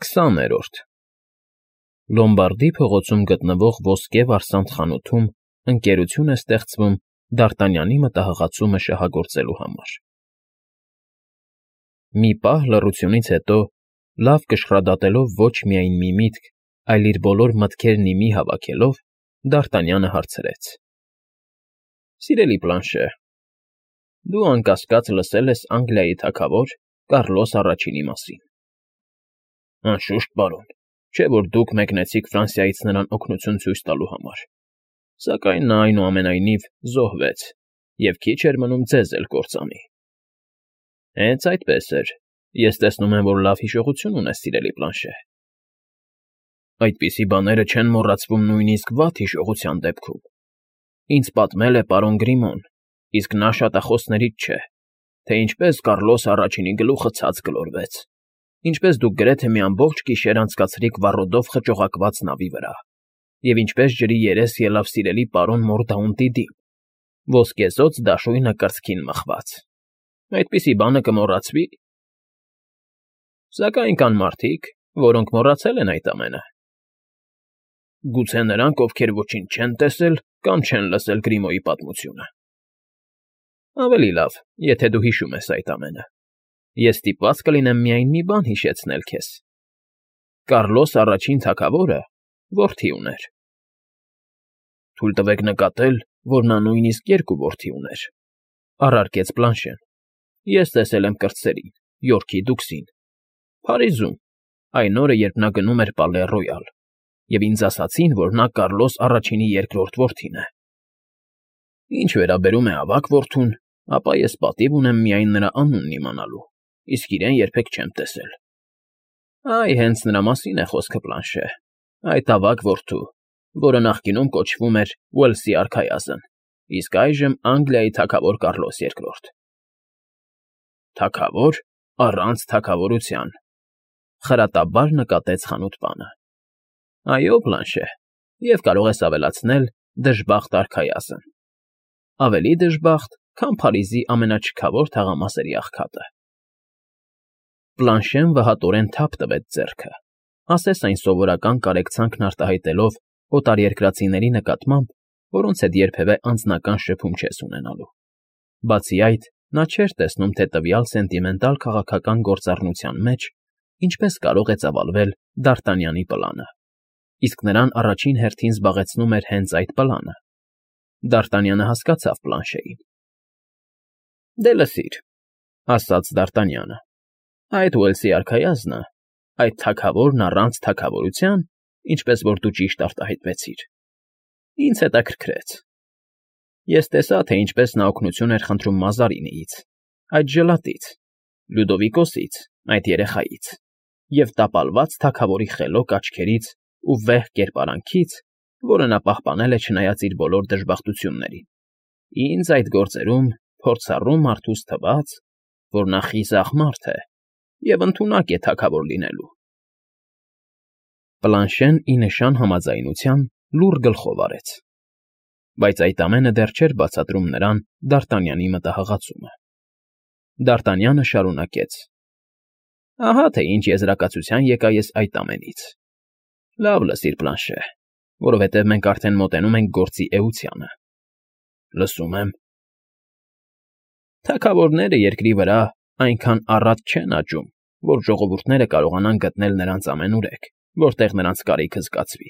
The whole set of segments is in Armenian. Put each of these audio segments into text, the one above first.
20-րդ Լոմբարդի փողոցում գտնվող ոսկե վարսանդ խանութում ընկերություն է ստեղծվում Դ'Արտանյանի մտահղացումը շահագործելու համար։ Մի պահ լռությունից հետո, լավ կշռադատելով ոչ միայն մի միտք, այլ իր բոլոր մտքերն ի մի հավաքելով, Դ'Արտանյանը հարցրեց. Սիրելի Պլանշե, դու անկասկած լսել ես Անգլիայի թագավոր Կառլոս առաջինի մասին։ Անշուշտ, պարոն, չէ՞ որ դուք մեկնեցիք Ֆրանսիայից նրան օգնություն ցույց տալու համար, սակայն նա այնուամենայնիվ զոհվեց և քիչ էր մնում ձեզ էլ կործանի։ Հենց այդպես էր, ես տեսնում եմ, որ լավ հիշողություն ունես, սիրելի Պլանշե։ Այդպիսի բաները չեն մոռացվում նույնիսկ վատ հիշողության դեպքում։ Ինձ պատմել է պարոն Գրիմոն, իսկ նա շատախոսներից չէ, թե ինչպես Կառլոս առաջինի գլուխը ցած գլորվեց, ինչպես դուք գրեթե մի ամբողջ գիշեր անցկացրիք վառոդով խճողակված նավի վրա, և ինչպես ջրի երես ելավ սիրելի պարոն Մորդաունտի դին, ոսկեզօծ դաշույնը կրծքին մխված։ Այդպիսի բանը կմոռացվի։ Սակայն կան մարդիկ, որոնք մոռացել են այդ ամենը։ Գուցե նրանք, ովքեր ոչինչ չեն տեսել կամ չեն լսել Գրիմոյի պատմությունը։ Ավելի լավ, եթե դու հիշում ես այդ ամենը։ Ես ստիպված կլինեմ միայն մի բան հիշեցնել քեզ. Կառլոս առաջին թագավորը որդի ուներ։ Թույլ տվեք նկատել, որ նա նույնիսկ երկու որդի ուներ, առարկեց Պլանշեն։ Ես տեսել եմ կրտսերին, Յորքի դուքսին, Փարիզում, այն օրը, երբ նա գնում էր Պալե Ռոյալ, և ինձ ասացին, որ նա Կառլոս առաջինի երկրորդ որդին է։ Ինչ վերաբերում է ավագ որդուն, ապա ես պատիվ ունեմ միայն նրա անունն իմանալու, իսկ իրեն երբեք չեմ տեսել։ Այ հենց նրա մասին է խոսքը, Պլանշե, այդ ավագ որդու, որը նախկինում կոչվում էր Ուելսի արքայազն, իսկ այժմ Անգլիայի թագավոր Կառլոս II։ Թագավոր առանց թագավորության, խրատաբար նկատեց խանութպանը։ Այո, Պլանշե, և կարող ես ավելացնել դժբախտ արքայազն։ Ավելի դժբախտ, քան Փարիզի ամենաչքավոր թաղամասերի աղքատը։ Պլանշեն վհատորեն թափ տվեց ձեռքը, ասես այն սովորական կարեկցանքն արտահայտելով օտարերկրացիների նկատմամբ, որոնց հետ երբևէ անձնական շփում չես ունենալու։ Բացի այդ, նա չէր տեսնում, թե տվյալ սենտիմենտալ քաղաքական գործառնության մեջ ինչպես կարող է ծավալվել Դ'Արտանյանի պլանը, իսկ նրան առաջին հերթին զբաղեցնում էր հենց այդ պլանը։ Դ'Արտանյանը հասկացավ Պլանշեին։ Դե լսիր, ասաց Դ'Արտանյանը, այդ Ուելսի արքայազնը, այդ թագավորն առանց թագավորության, ինչպես որ դու ճիշտ արտահայտվեցիր, ինձ հետաքրքրեց։ Ես տեսա, թե ինչպես նա օգնություն էր խնդրում Մազարինիից, այդ ժլատից, Լյուդովիկոսից, այդ երեխայից, և տապալված թագավորի խելոք աչքերից ու վեհ կերպարանքից, որը նա պահպանել է չնայած իր բոլոր դժբախտություններին, ինձ այդ գործերում փորձառու մարդուս թվաց, որ նա խիզախ մարդ է և ընդունակ է թագավոր լինելու։ Պլանշեն ի նշան համաձայնության լուռ գլխով արեց։ Բայց այդ ամենը դեռ չէր բացատրում նրան Դ'Արտանյանի մտահղացումը։ Դ'Արտանյանը շարունակեց. Ահա թե ինչ եզրակացության եկա ես այդ ամենից։ Լավ լսիր, Պլանշե, որովհետև մենք արդեն մոտենում ենք գործի էությանը։ Լսում եմ։ Թագավորները երկրի վրա այնքան առատ չեն աճում, որ ժողովուրդները կարողանան գտնել նրանց ամենուրեք, որտեղ նրանց կարիքը զգացվի։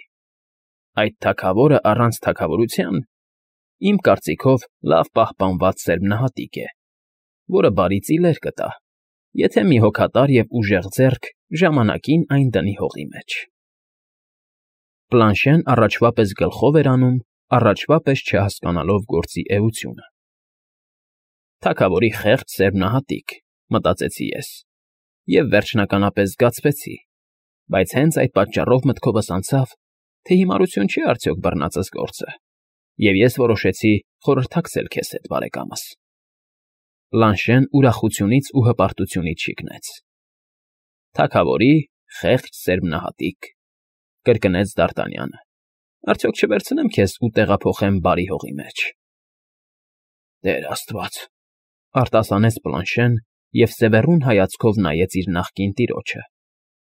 Այդ թագավորը առանց թագավորության, իմ կարծիքով, լավ պահպանված սերմնահատիկ է, որը բարի ծիլեր կտա, եթե մի հոգատար և ուժեղ ձեռք ժամանակին այն դնի հողի մեջ։ Պլանշեն առաջվա պես գլխով էր անում, առաջվա պես չհասկանալով գործի էությունը։ Թագավորի խեղճ սերմնահատիկ, մտածեցի ես, և վերջնականապես զգացվեցի, բայց հենց այդ պատճառով մտքովս անցավ, թե հիմարություն չի արդյոք բռնածս գործը, և ես որոշեցի խորհրդակցել քեզ հետ, բարեկամս։ Պլանշեն ուրախությունից ու հպարտությունից շիկնեց։ Թագավորի խեղճ սերմնահատիկ, կրկնեց Դ'Արտանյանը, արդյոք չվերցնեմ քեզ ու տեղափոխեմ բարի հողի մեջ։ Տեր Աստված, արտասանեց Պլանշեն և սևեռուն հայացքով նայեց իր նախկին տիրոջը,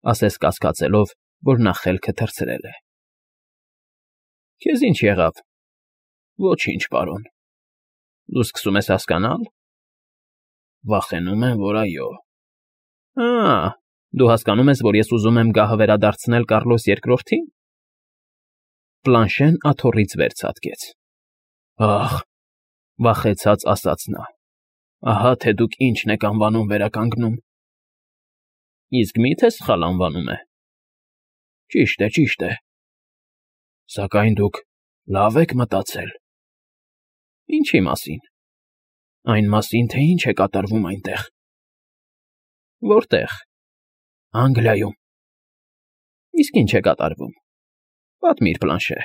ասես կասկածելով, որ նա խելքը թռցրել է։ Քեզ ինչ եղավ։ Ոչինչ, պարոն։ Դու սկսում ես հասկանալ։ Վախենում եմ, որ այո։ Դու հասկանում ես, որ ես ուզում եմ գահը վերադարձնել Կառլոս II-ին։ Պլանշեն աթոռից վեր ցատկեց։ Ախ, վախեցած ասաց նա։ Ահա թե դուք ինչն եք անվանում վերականգնում։ Իսկ մի՞թե սխալ անվանում է։ Ճիշտ է։ Սակայն դուք լավ եք մտածել։ Ինչի մասին։ Այն մասին, թե ինչ է կատարվում այնտեղ։ Որտեղ։ Անգլիայում։ Իսկ ինչ է կատարվում։ Պատմիր, Պլանշե։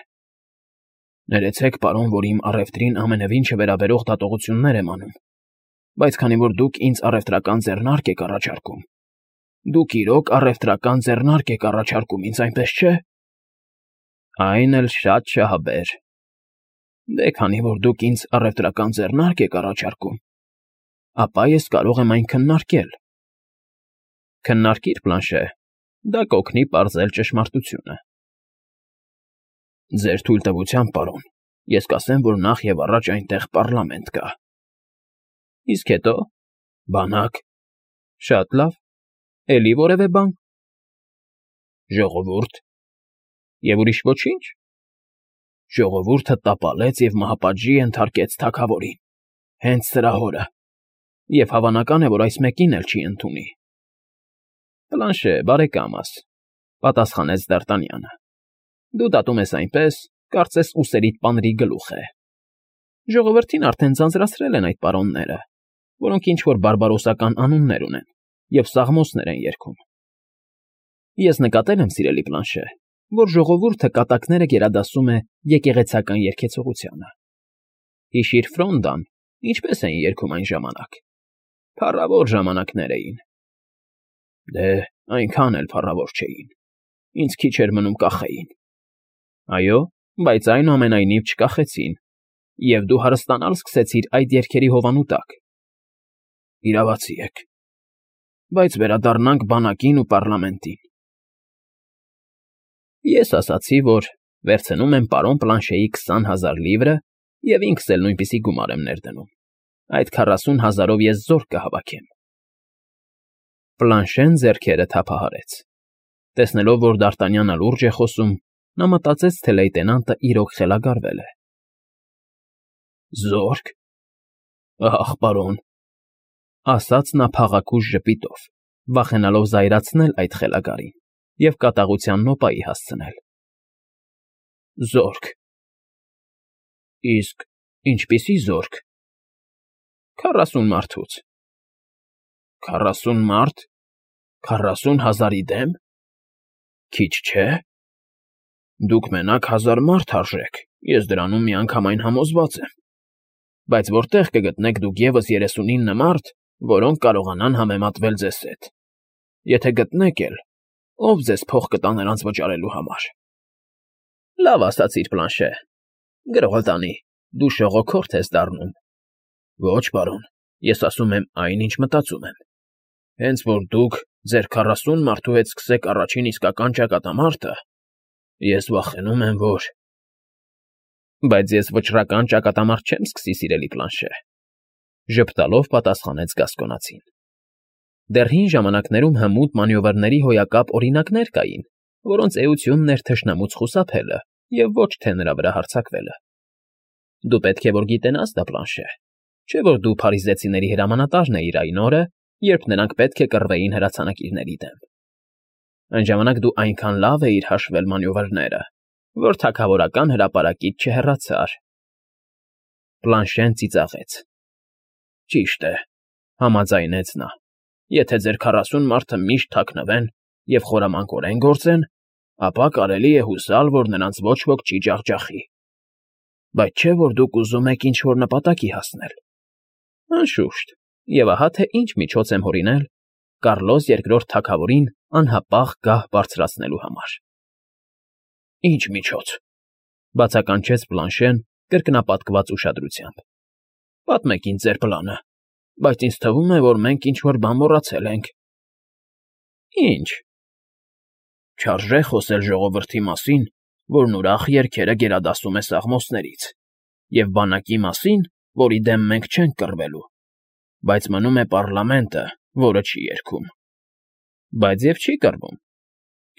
Ներեցեք, պարոն, որ իմ առևտրին ամենևին չվերաբերող դատողություններ եմ անում, բայց քանի որ դուք ինձ առևտրական ձեռնարկ եք առաջարկում, դուք իրոք առևտրական ձեռնարկ եք առաջարկում ինձ, այնպես չէ։ Այն էլ շատ շահաբեր։ Դե քանի որ դուք ինձ առևտրական ձեռնարկ եք առաջարկում, ապա ես կարող եմ այն քննարկել։ Քննարկիր, Պլանշե, դա կօգնի պարզել ճշմարտությունը։ Ձեր թույլտվությամբ, պարոն, ես կասեմ, որ նախ եւ առաջ այնտեղ պարլամենտ կա։ Իսկ հետո։ Բանակ։ Շատ լավ։ Էլի որևէ բան։ Ժողովուրդ։ Եվ ուրիշ ոչինչ։ Ժողովուրդը տապալեց եւ մահապատժի ենթարկեց թագավորին։ Հենց սրա հորը։ Եվ հավանական է, որ այս մեկին էլ չի ընդունի։ Պլանշե, բարեկամս, պատասխանեց Դ'Արտանյանը։ Դու դատում ես այնպես, կարծես ուսերիդ պանրի գլուխ է։ Ժողովրդին արդեն ձանձրացրել են այդ պարոնները, որոնք ինչ-որ բարբարոսական անուններ ունեն և սաղմոսներ են երգում։ Ես նկատել եմ, սիրելի Պլանշե, որ ժողովուրդը կատակները գերադասում է եկեղեցական երգեցողությանը։ Հիշիր Ֆրոնդան, ինչպես էին երգում այն ժամանակ։ Փառավոր ժամանակներ էին։ Դե, այնքան էլ փառավոր չէին։ Ինձ քիչ էր մնում կախեին։ Այո, բայց այնուամենայնիվ չկախեցին, և դու հարստանալ սկսեցիր այդ երգերի հովանու տակ։ Իրավացի եք։ Բայց վերադառնանք բանակին ու պարլամենտին։ Ես ասացի, որ վերցնում եմ պարոն Պլանշեի 20,000 լիվրը և ինքս էլ նույնպիսի գումար եմ ներդնում։ Այդ 40,000-ով ես զորք կհավաքեմ։ Պլանշեն ձեռքերը թափահարեց։ Տեսնելով, որ Դ'Արտանյանը լուրջ է խոսում, նա մտածեց, թե լեյտենանտը իրոք խելագարվել է։ Զորք։ Ախ, պարոն, ասաց նա փաղաքուշ ժպիտով, վախենալով զայրացնել այդ խելագարին և կատաղության նոպայի հասցնել։ Զորք։ Իսկ ինչպիսի զորք։ 40 մարդուց։ 40 մարդ։ 40,000-ի դեմ։ Քիչ չէ։ Դուք մենակ 1000 մարդ արժեք, ես դրանում միանգամայն համոզված եմ։ Բայց որտեղ կգտնեք դուք ևս 39 մարդ, որոնք կարողանան համեմատվել ձեզ հետ։ Եթե գտնեք էլ, ով ձեզ փող կտա նրանց վճարելու համար։ Լավ ասացիր, Պլանշե։ Գրողը տանի, դու շողոքորթ ես դառնում։ Ոչ, պարոն, ես ասում եմ այն, ինչ մտածում եմ։ Հենց որ դուք ձեր 40 մարդու հետ սկսեք առաջին իսկական ճակատամարտը, ես վախենում եմ, որ… Բայց ես վճռական ճակատամարտ չեմ սկսի, սիրելի Պլանշե, ժպտալով պատասխանեց Գասկոնացին։ Դեռ հին ժամանակներում հմուտ մանևրների հոյակապ օրինակներ կային, որոնց էությունն էր թշնամուց խուսափելը և ոչ թե նրա վրա հարձակվելը։ Դու պետք է որ գիտենաս դա, Պլանշե, չէ՞ որ դու փարիզեցիների հրամանատարն էիր այն օրը, երբ նրանք պետք է կռվեին հրացանակիրների դեմ։ Այն ժամանակ դու այնքան լավ էիր հաշվել մանևրները, որ թագավորական հրապարակից չհեռացար։ Պլանշեն ծիծաղեց։ Ճիշտ է, համաձայնեց նա։ Եթե ձեր 40 մարդը միշտ թաքնվեն և խորամանկորեն գործեն, ապա կարելի է հուսալ, որ նրանց ոչ ոք չի ջախջախի։ Բայց չէ՞ որ դուք ուզում եք ինչ-որ նպատակի հասնել։ Անշուշտ, և ահա թե ինչ միջոց եմ հորինել Կառլոս II թագավորին անհապաղ գահ բարձրացնելու համար։ Ինչ միջոց, բացականչեց Պլանշեն կրկնապատկված ուշադրությամբ։ Պատմեք ինձ ձեր պլանը, բայց ինձ թվում է, որ մենք ինչ֊որ բան մոռացել ենք։ Ինչ։ Չարժե խոսել ժողովրդի մասին, որն ուրախ երգերը գերադասում է սաղմոսներից, և բանակի մասին, որի դեմ մենք չենք կռվելու, բայց մնում է պառլամենտը, որը չի երգում։ Բայց և չի կռվում։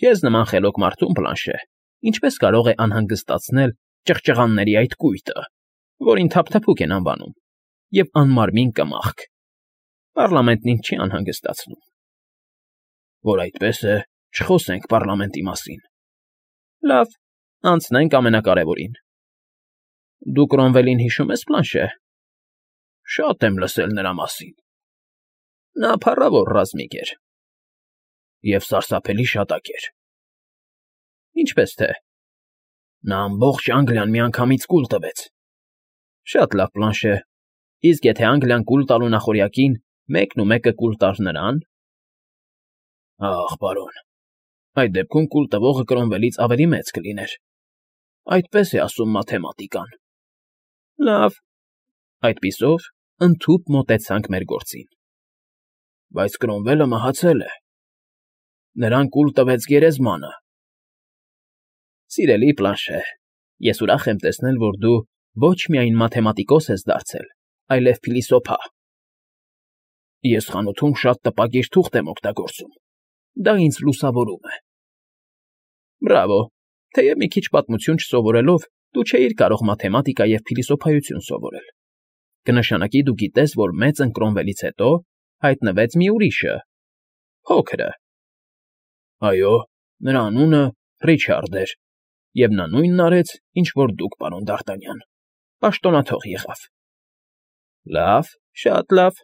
Քեզ նման խելոք մարդուն, Պլանշե, ինչպես կարող է անհանգստացնել ճղճղանների այդ կույտը, որին թափթփուկ են անվանում, և անմարմին կմախք։ Պառլամենտն ինձ չի անհանգստացնում։ Որ այդպես է, չխոսենք պառլամենտի մասին։ Լավ, անցնենք ամենակարևորին։ Դու Կրոմվելին հիշո՞ւմ ես, Պլանշե։ Շատ եմ լսել նրա մասին։ Նա փառավոր ռազմիկ էր և սարսափելի շատակ էր։ Ինչպես թե։ Նա ամբողջ Անգլիան միանգամից կուլ տվեց։ Շատ լավ, Պլանշե, իսկ եթե Անգլիան կուլ տալու նախօրյակին մեկնումեկը կուլ տար նրան… Ախ, պարոն, այդ դեպքում կուլ տվողը Կրոմվելից ավելի մեծ կլիներ, այդպես է ասում մաթեմատիկան։ Լավ, այդպիսով ընդհուպ մոտեցանք մեր գործին։ Բայց Կրոմվելը մահացել է։ Նրան կուլ տվեց գերեզմանը։ Սիրելի Պլանշե, ես ուրախ եմ տեսնել, որ դու ոչ միայն մաթեմատիկոս ես դարձել, այլև փիլիսոփա։ Ես խանութում շատ տպագիր թուղթ եմ օգտագործում։ Դա ինձ լուսավորում է։ Բրավո, թեև մի քիչ պատմություն չսովորելով, դու չէիր կարող մաթեմատիկա և փիլիսոփայություն սովորել։ Կնշանակի դու գիտես, որ մեծն Կրոմվելից հետո հայտնվեց մի ուրիշը… փոքրը։ Այո, նրա անունը Ռիչարդ էր, և նա նույնն արեց, ինչ որ դուք, պարոն Դ'Արտանյան, պաշտոնաթող եղավ։ Լավ, շատ լավ,